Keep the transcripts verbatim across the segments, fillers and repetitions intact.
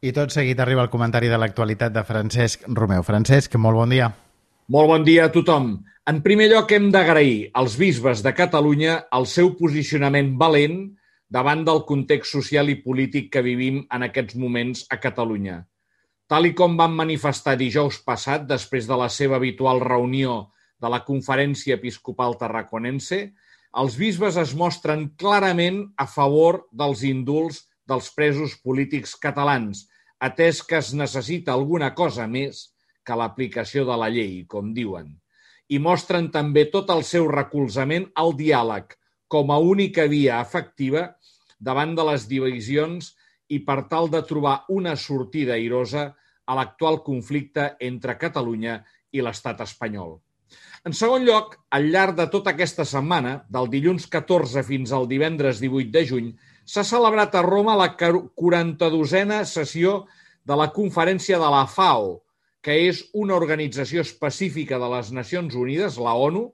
I tot seguit arriba el comentari de l'actualitat de Francesc Romeu. Francesc, molt bon dia. Molt bon dia a tothom. En primer lloc, hem d'agrair als bisbes de Catalunya el seu posicionament valent davant del context social i polític que vivim en aquests moments a Catalunya. Tal i com van manifestar dijous passat, després de la seva habitual reunió de la Conferència Episcopal Tarraconense, els bisbes es mostren clarament a favor dels indults dels presos polítics catalans, atès que es necessita alguna cosa més que l'aplicació de la llei, com diuen. I mostren també tot el seu recolzament al diàleg com a única via efectiva davant de les divisions i per tal de trobar una sortida airosa a l'actual conflicte entre Catalunya i l'estat espanyol. En segon lloc, al llarg de tota aquesta setmana, del dilluns catorze fins al divendres divuit de juny, s'ha celebrat a Roma la quaranta-dosena sessió de la Conferència de la FAO, que és una organització específica de les Nacions Unides, la ONU,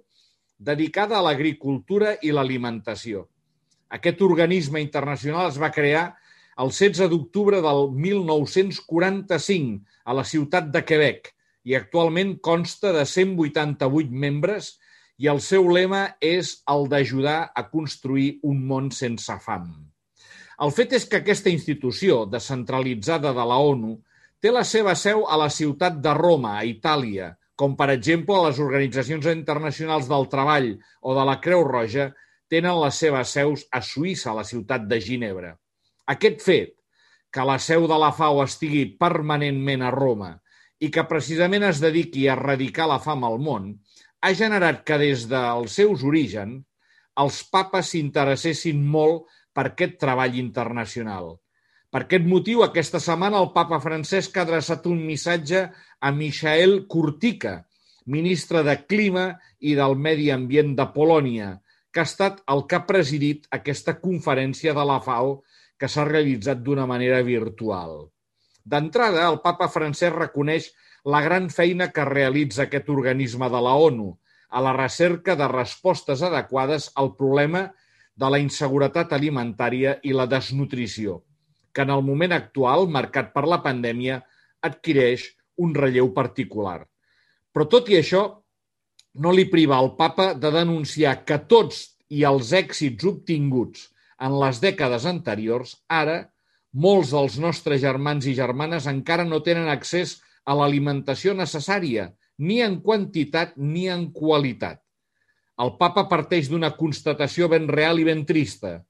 dedicada a l'agricultura i l'alimentació. Aquest organisme internacional es va crear el setze d'octubre del mil nou-cents quaranta-cinc a la ciutat de Quebec i actualment consta de cent vuitanta-vuit membres i el seu lema és el d'ajudar a construir un món sense fam. El fet és que aquesta institució descentralitzada de la ONU té la seva seu a la ciutat de Roma, a Itàlia, com per exemple les organitzacions internacionals del treball o de la Creu Roja tenen les seves seus a Suïssa, a la ciutat de Ginebra. Aquest fet, que la seu de la FAO estigui permanentment a Roma i que precisament es dediqui a erradicar la fam al món, ha generat que des dels seus orígens els papes s'interessessin molt per aquest treball internacional. Per aquest motiu, aquesta setmana el papa Francesc ha adreçat un missatge a Michael Kurtyka, ministre de Clima i del Medi Ambient de Polònia, que ha estat el que ha presidit aquesta conferència de la FAO que s'ha realitzat d'una manera virtual. D'entrada, el papa Francesc reconeix la gran feina que realitza aquest organisme de la ONU a la recerca de respostes adequades al problema de la inseguretat alimentària i la desnutrició, que en el moment actual, marcat per la pandèmia, adquireix un relleu particular. Però tot i això, no li priva al papa de denunciar que tots i els èxits obtinguts en les dècades anteriors, ara, molts dels nostres germans i germanes encara no tenen accés a l'alimentació necessària, ni en quantitat ni en qualitat. El papa parteix d'una constatació ben real i ben trista,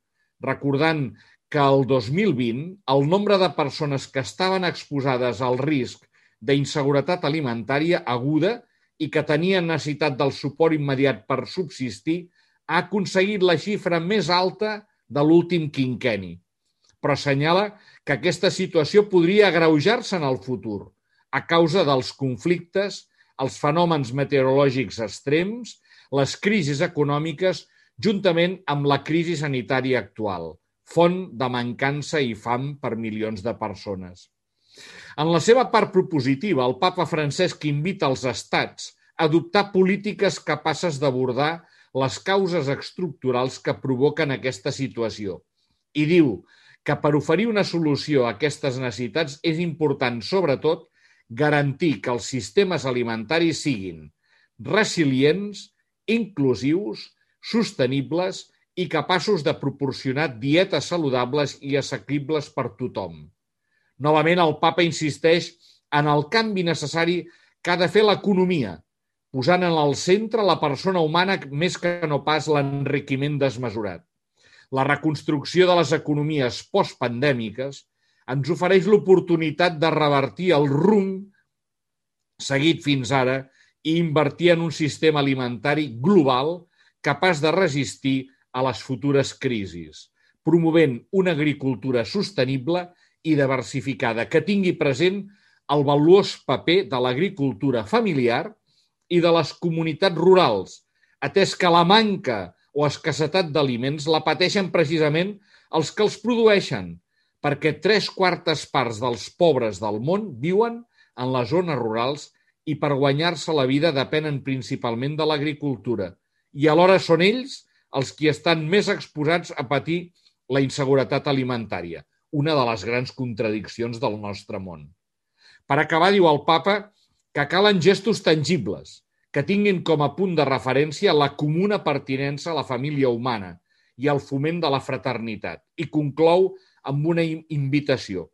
recordant que el dos mil vint el nombre de persones que estaven exposades al risc d'inseguretat alimentària aguda i que tenien necessitat del suport immediat per subsistir ha aconseguit la xifra més alta de l'últim quinquenni. Però assenyala que aquesta situació podria agreujar-se en el futur a causa dels conflictes, els fenòmens meteorològics extrems, les crisis econòmiques, juntament amb la crisi sanitària actual, font de mancança i fam per milions de persones. En la seva part propositiva, el papa Francesc invita els estats a adoptar polítiques capaces d'abordar les causes estructurals que provoquen aquesta situació i diu que per oferir una solució a aquestes necessitats és important, sobretot, garantir que els sistemes alimentaris siguin resilients, inclusius, sostenibles i capaços de proporcionar dietes saludables i assequibles per tothom. Novament, el papa insisteix en el canvi necessari que ha de fer l'economia, posant en el centre la persona humana més que no pas l'enriquiment desmesurat. La reconstrucció de les economies postpandèmiques ens ofereix l'oportunitat de revertir el rumb seguit fins ara i invertir en un sistema alimentari global capaç de resistir a les futures crisis, promovent una agricultura sostenible i diversificada que tingui present el valuós paper de l'agricultura familiar i de les comunitats rurals, atès que la manca o escassetat d'aliments la pateixen precisament els que els produeixen, perquè tres quartes parts dels pobres del món viuen en les zones rurals i per guanyar-se la vida depenen principalment de l'agricultura, i alhora són ells els qui estan més exposats a patir la inseguretat alimentària. una de les grans contradiccions del nostre món. Per acabar, diu el papa que calen gestos tangibles, que tinguin com a punt de referència la comuna pertinença a la família humana i el foment de la fraternitat. I conclou amb una invitació.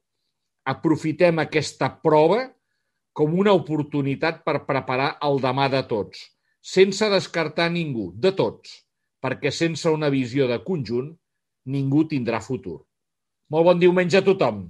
Aprofitem aquesta prova com una oportunitat per preparar el demà de tots, sense descartar ningú, de tots, perquè sense una visió de conjunt ningú tindrà futur. Molt bon diumenge a tothom!